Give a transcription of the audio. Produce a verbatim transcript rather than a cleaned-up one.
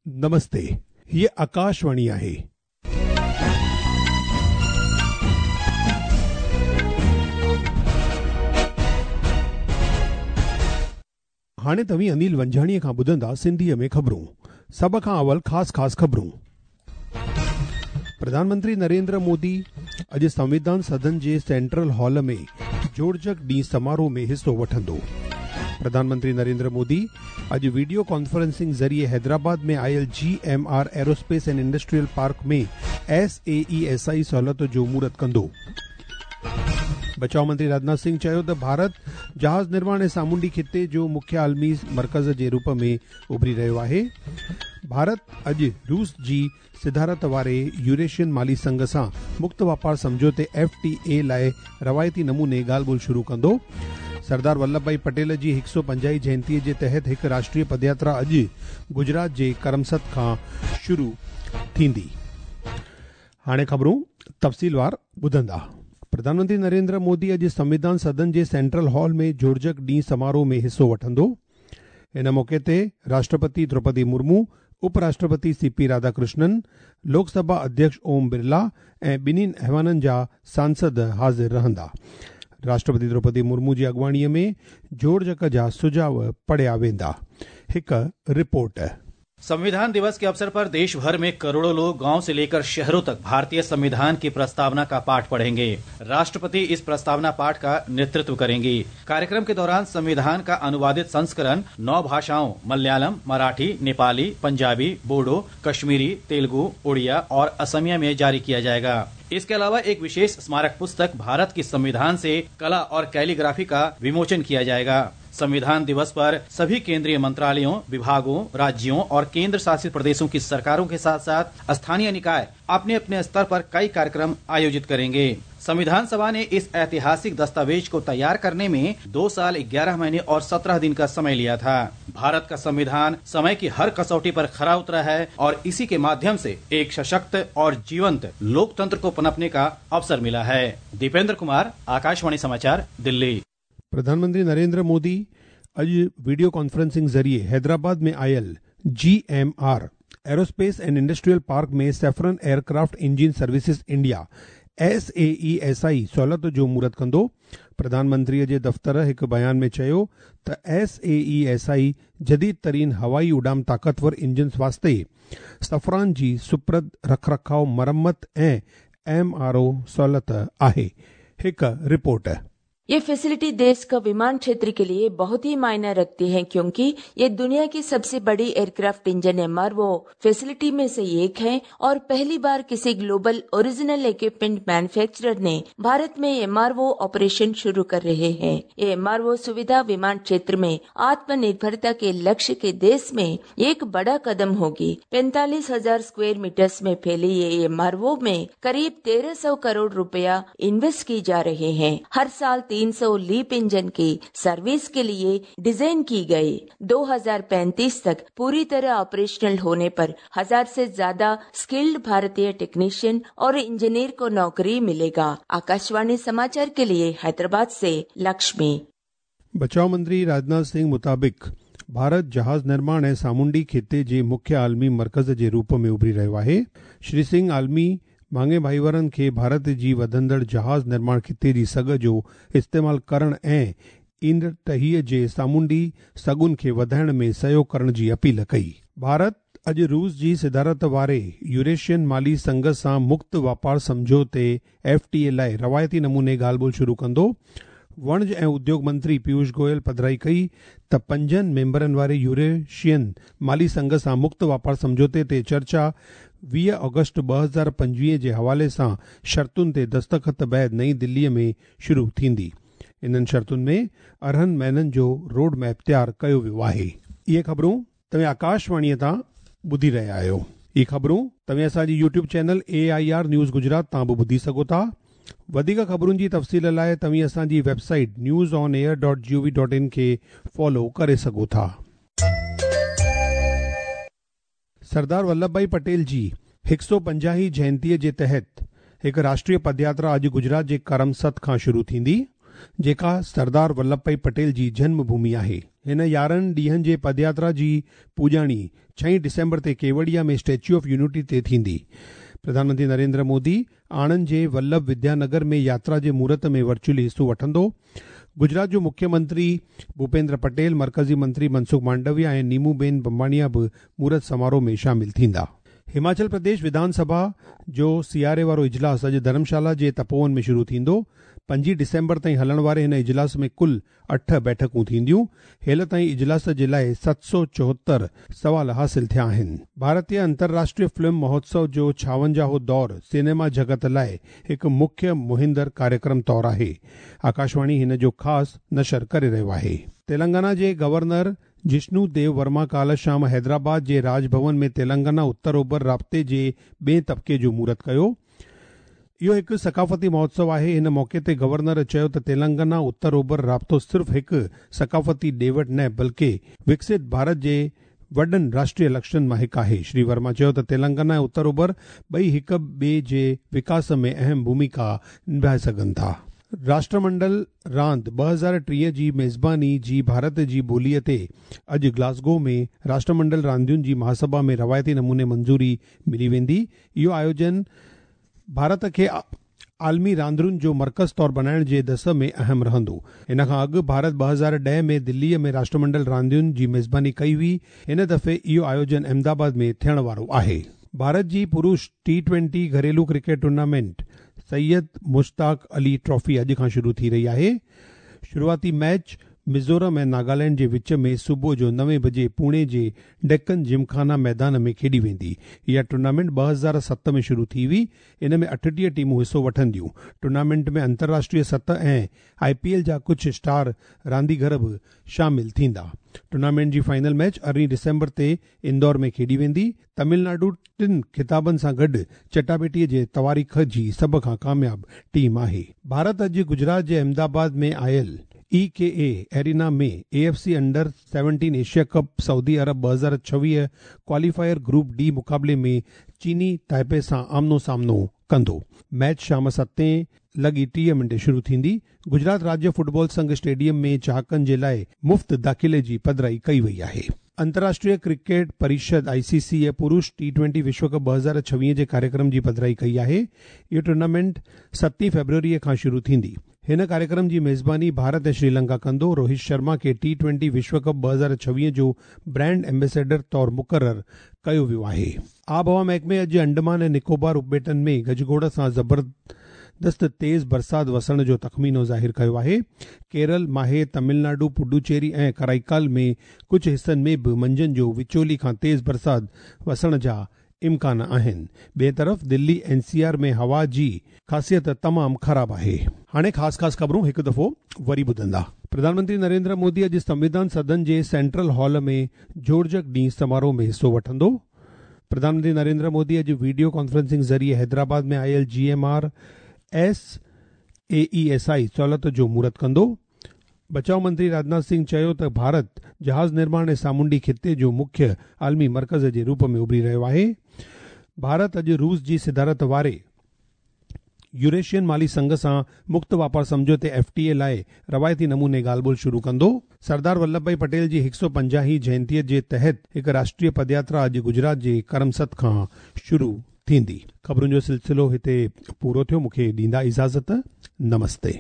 नमस्ते, हीअ आकाशवाणी आहे। हाणे तव्हीं अनिल वंजाणीअ खां ॿुधंदा सिंधीअ में ख़बरूं। सभ खां अवल ख़ासि ख़ासि ख़बरूं। प्रधानमंत्री नरेंद्र मोदी अॼु संविधान सदन जे सेंट्रल हॉल में जोड़जक ॾींहुं समारोह में हिसो वठंदो। प्रधानमंत्री नरेंद्र मोदी अॼु वीडियो कॉन्फ्रेंसिंग ज़रिए हैदराबाद में आयल G M R aerospace and industrial park में S A E S I सहूलियत जो मुहूर्त कंदो। बचाव मंत्री राजनाथ सिंह चयो त भारत जहाज़ निर्माण ऐं सामुंडी ख़िते जो मुख्य आलमी मर्कज़ जे रूप में उभरी रहियो आहे। भारत अॼु रूस जी सिदारत वारे यूरेशियन माली संघ सां मुक्त वापार सम्झौते एफ टी ए लाइ रवायती नमूने ॻाल्हि ॿोल शुरू कंदो। सरदार वल्लभ भाई पटेल जी हिकु सौ पंजाही जयंतीअ जे तहत हिकु राष्ट्रीय पदयात्रा अॼु गुजरात जे करमसद खां शुरू थींदी। हाणे ख़बरूं तफ़सीलवार ॿुधंदा। प्रधानमंत्री नरेंद्र मोदी अॼु संविधान सदन जे सेंट्रल हॉल में जोड़जक ॾींहुं समारोह में हिसो वठंदो। इन मौक़े ते राष्ट्रपति द्रौपदी मुर्मू, उपराष्ट्रपति सी पी राधाकृष्णन, लोकसभा अध्यक्ष ओम बिरला ऐं ॿिन्हिनि ऐवाननि जा सांसद हाज़िर रहंदा। राष्ट्रपति द्रौपदी मुर्मू जी अॻुवाणीअ में जोड़जक जा सुझाव पढ़िया वेंदा। हिकु रिपोर्ट। संविधान दिवस के अवसर पर देश भर में करोड़ों लोग गांव से लेकर शहरों तक भारतीय संविधान की प्रस्तावना का पाठ पढ़ेंगे। राष्ट्रपति इस प्रस्तावना पाठ का नेतृत्व करेंगी। कार्यक्रम के दौरान संविधान का अनुवादित संस्करण नौ भाषाओं मलयालम, मराठी, नेपाली, पंजाबी, बोडो, कश्मीरी, तेलुगु, उड़िया और असमिया में जारी किया जाएगा। इसके अलावा एक विशेष स्मारक पुस्तक भारत की संविधान से कला और कैलीग्राफी का विमोचन किया जाएगा। संविधान दिवस पर सभी केंद्रीय मंत्रालयों, विभागों, राज्यों और केंद्र शासित प्रदेशों की सरकारों के साथ साथ स्थानीय निकाय अपने अपने स्तर पर कई कार्यक्रम आयोजित करेंगे। संविधान सभा ने इस ऐतिहासिक दस्तावेज को तैयार करने में दो साल ग्यारह महीने और सत्रह दिन का समय लिया था। भारत का संविधान समय की हर कसौटी पर खरा उतरा है और इसी के माध्यम से एक सशक्त और जीवंत लोकतंत्र को पनपने का अवसर मिला है। दीपेंद्र कुमार, आकाशवाणी समाचार, दिल्ली। प्रधानमंत्री नरेंद्र मोदी अॼु वीडियो कॉन्फ्रेंसिंग ज़रिए हैदराबाद में आयल G M R aerospace and industrial park में Safran aircraft engine services India S A E S I सहूलियत जो मुहूर्त कंदो। प्रधानमंत्रीअ जे दफ़्तर हिकु बयान में चयो त S A E S I जदीद तरीन हवाई उॾाम ताक़तवर इंजन्स वास्ते सफ़रान जी सुपुर्द रखरखाव, मरम्मत ऐं एम आर ओ सहूलियत आहे। हिकु रिपोर्ट। ये फैसिलिटी देश का विमान क्षेत्र के लिए बहुत ही मायना रखती है, क्योंकि ये दुनिया की सबसे बड़ी aircraft engine M R O facility में से एक है और पहली बार किसी ग्लोबल ओरिजिनल इक्विपमेंट मैन्युफैक्चरर ने भारत में एम आर ओ ऑपरेशन शुरू कर रहे हैं। ये एम आर ओ सुविधा विमान क्षेत्र में आत्मनिर्भरता के लक्ष्य के देश में एक बड़ा कदम होगी। पैंतालीस हजार स्क्वायर मीटर्स में फैली ये एम आर ओ में करीब तेरह सौ करोड़ रुपया इन्वेस्ट की जा रहे हैं। हर साल तीन सौ लीप इंजन की सर्विस के लिए डिजाइन की गई। दो हज़ार पैंतीस तक पूरी तरह ऑपरेशनल होने पर हजार से ज्यादा स्किल्ड भारतीय टेक्नीशियन और इंजीनियर को नौकरी मिलेगा। आकाशवाणी समाचार के लिए हैदराबाद से लक्ष्मी। बचाव मंत्री राजनाथ सिंह मुताबिक भारत जहाज़ निर्माण ऐं सामुंडी ख़िते जे मुख्य आलमी मर्कज़ जे रूप में उभरी रहियो आहे। श्री सिंह आलमी मांगे भाईवारनि खे भारत जी वधंदड़ जहाज़ निर्माण ख़िते जी सघ जो इस्तेमालु करण ऐं ईंदड़ टहीअ जे सामुंडी सघुनि खे वधाइण में सहयोग करण जी अपील कई। भारत अॼु रूस जी सिदारत वारे यूरेशियन माली संघ सां मुक्त वापार सम्झौते एफ टी ए लाइ रवायती नमूने ॻाल्हि ॿोल शुरू कंदो। वणज ऐं उद्योग मंत्री पीयूष गोयल पधराई कई त पंजनि मेंबरनि वारे यूरेशियन माली संघ सां मुक्त वापार सम्झौते ते चर्चा वीह ऑगस्ट ॿ हज़ार पंजवीह जे हवाले सां शर्तुनि ते दस्तख़त बाद नई दिल्लीअ में शुरू थींदी। इन्हनि शर्तुनि में अरिड़हं महीननि जो रोड मैप तयारु कयो वियो आहे। इहे ख़बरूं तव्हां आकाशवाणीअ तां ॿुधी रहिया आहियो। इहे ख़बरूं तव्हां असांजी YouTube channel A I R news Gujarat तां बि ॿुधी सघो था। वधीक ख़बरुनि जी तफ़सील लाइ तव्हीं असांजी website news on air dot G O V dot in खे फॉलो करे सघो था। सरदार वल्लभ भाई पटेल जी हिकु सौ पंजाही जयंतीअ जे तहत हिकु राष्ट्रीय पदयात्रा अॼु गुजरात जे करमसद खां शुरू थींदी। जेका सरदार वल्लभ भाई पटेल जी जन्म भूमि आहे। हिन यारहं ॾींहनि जे पदयात्रा जी पुॼाणी छह डिसेंबर ते केवड़िया में स्टैच्यू ऑफ यूनिटी ते थींदी। प्रधानमंत्री नरेंद्र मोदी आणंद जे वल्लभ विद्यानगर में यात्रा जे मुहूर्त में वर्चुअली हिसो वठंदो। गुजरात जो मुख्यमंत्री भूपेंद्र पटेल, मरकज़ी मंत्री मनसुख मांडविया ऐं नीमूबेन बम्बाणिया बि मुहूर्त समारोह में शामिल थींदा। हिमाचल प्रदेश विधानसभा जो सियारे वारो इजलास अॼु धर्मशाला जे तपोवन में शुरू थींदो। पंजी डिसेंबर ताईं हलण वारे हिन इजलास में कुल अठ बैठकूं थींदियूं। हेल ताईं इजलास जे लाइ सत सौ चोहतरि सवाल हासिल थिया आहिनि। भारतीय अंतर्राष्ट्रीय फिल्म महोत्सव जो छावंजाहो दौर सिनेमा जगत लाइ हिकु मुख्य मुहिंदड़ कार्यक्रम तौर आहे। आकाशवाणी हिन जो ख़ासि नशर करे रहियो आहे। तेलंगाना जे गवर्नर जिष्णु देव वर्मा काल शाम हैदराबाद जे राजभवन में तेलंगाना उत्तर ओभर राब्ते जे ॿिए तबिके जो मुहूर्त कयो। इहो हिकु सकाफ़ती महोत्सव आहे। हिन मौक़े ते गवर्नर चयो त तेलंगाना उत्तर ओभर राब्तो सिर्फ़ हिकु सकाफ़ती ॾे वठि न बल्कि विकसित भारत जे वॾनि राष्ट्रीय लक्ष्यनि मां हिकु आहे। श्री वर्मा चयो त तेलंगाना ऐं उत्तर ओभर ॿई हिक ॿिए जे विकास में अहम भूमिका निभाए सघनि था। राष्ट्रमंडल रांदि ॿ हज़ार टीह जी मेज़बानी जी भारत जी ॿोलीअ ते अॼु ग्लासगो में राष्ट्रमंडल रांदियुनि जी महासभा में रवायती नमूने मंज़ूरी मिली वेंदी। इहो आयोजन भारत खे आलमी रांदियुनि जो मर्कज़ तौर बणाइण जे दस में अहम रहंदो। हिन खां अॻु भारत ॿ हज़ार ॾह में दिल्लीअ में राष्ट्रमंडल रांदियुनि जी मेज़बानी कई हुई। हिन दफ़े इहो आयोजन अहमदाबाद में थियण वारो आहे। भारत जी पुरुष टी ट्वेंटी घरेलू cricket tournament Syed Mushtaq Ali trophy अॼु खां शुरू थी रही आहे। शुरूआती मैच मिज़ोरम ऐं नागालैंड जे विच में सुबुह जो नवे बजे पुणे जे डेक्कन जिमखाना मैदान में खेॾी वेंदी। इहा टूर्नामेंट ॿ हज़ार सत में शुरू थी हुई। इन में अठटीह टीमूं हिसो वठंदियूं। टूर्नामेंट में अंतर्राष्ट्रीय सतह ऐं I P L जा कुझु स्टार रांदीगर बि शामिल थींदा। टूर्नामेंट जी फाइनल मैच अरिड़हीं डिसेंबर ते इंदौर में खेॾी वेंदी। तमिलनाडु टिनि खिताबनि सां गॾु चटाबेटीअ जे तवारीख़ जी सभ खां कामयाब टीम आहे। भारत अॼु गुजरात जे अहमदाबाद में आयल ई के ए एरिना में A F C under seventeen Asia cup Saudi Arab ॿ हज़ार छवीह क्वालीफायर ग्रुप डी मुक़ाबले में चीनी ताइपे सां आमनो सामनो कंदो। मैच शाम सतें लॻी टीह मिंट शुरू थींदी। गुजरात राज्य फुटबॉल संघ स्टेडियम में चाहकनि जे लाइ मुफ़्त दाख़िले जी पधराई कई वई आहे। अंतर्राष्ट्रीय क्रिकेट परिषद आई सी सी पुरुष टी ट्वेंटी विश्व कप ॿ हज़ार छवीह जे कार्यक्रम जी पधराई कई आहे। इहो टूर्नामेंट सतीं फ़ेब्रुअरीअ खां शुरू थींदी। हिन कार्यक्रम जी मेज़बानी भारत ऐं श्रीलंका कंदो। रोहित शर्मा खे टी ट्वेंटी विश्व कप ॿ हज़ार छवीह जो ब्रांड एम्बेसडर तौर मुक़ररु कयो वियो आहे। आबहवा महकमे अॼु अंडमान ऐं निकोबार उपॿेटनि में गजगोड़ सां ज़बरदस्त तेज़ बरसात वसण जो तख़मीनो ज़ाहिर कयो आहे। केरल, माहे, तमिलनाडु, पुडुचेरी ऐं कराईकाल में कुझु हिसनि में बि मंझंदि जो विचोली खां तेज़ बरसात वसण जा इम्कान आहिनि। ॿिए तरफ़ दिल्ली एन सी आर में हवा जी ख़ासियत तमामु ख़राब आहे। हाणे ख़ासि ख़ासि ख़बरूं हिकु दफ़ो वरी ॿुधंदा। प्रधानमंत्री नरेंद्र मोदी अॼु संविधान सदन जे सेंट्रल हॉल में जोड़जक ॾींहुं समारोह में हिसो वठंदो। प्रधानमंत्री नरेंद्र मोदी अॼु वीडियो कॉन्फ्रेंसिंग ज़रिए हैदराबाद में आयल G M R S A E S I सहूलियत जो मुहूर्त कंदो। बचाव मंत्री राजनाथ सिंह चयो त भारत जहाज़ निर्माण ऐं सामुंडी ख़िते जो मुख्य आलमी मर्कज़ जे रूप में उभरी रहियो आहे। भारत अॼु रूस जी सिदारत वारे यूरेशियन माली संघ सां मुक्त वापार सम्झौते एफ टी ए लाइ रवायती नमूने ॻाल्हि ॿोल शुरू कंदो। सरदार वल्लभ भाई पटेल जी हिकु सौ पंजाहीं जयंतीअ जे तहत हिकु राष्ट्रीय पदयात्रा अॼु गुजरात जे करमसद खां शुरू थींदी। ख़बरुनि जो सिलसिलो हिते पूरो थियो। मूंखे ॾींदा इजाज़त। नमस्ते।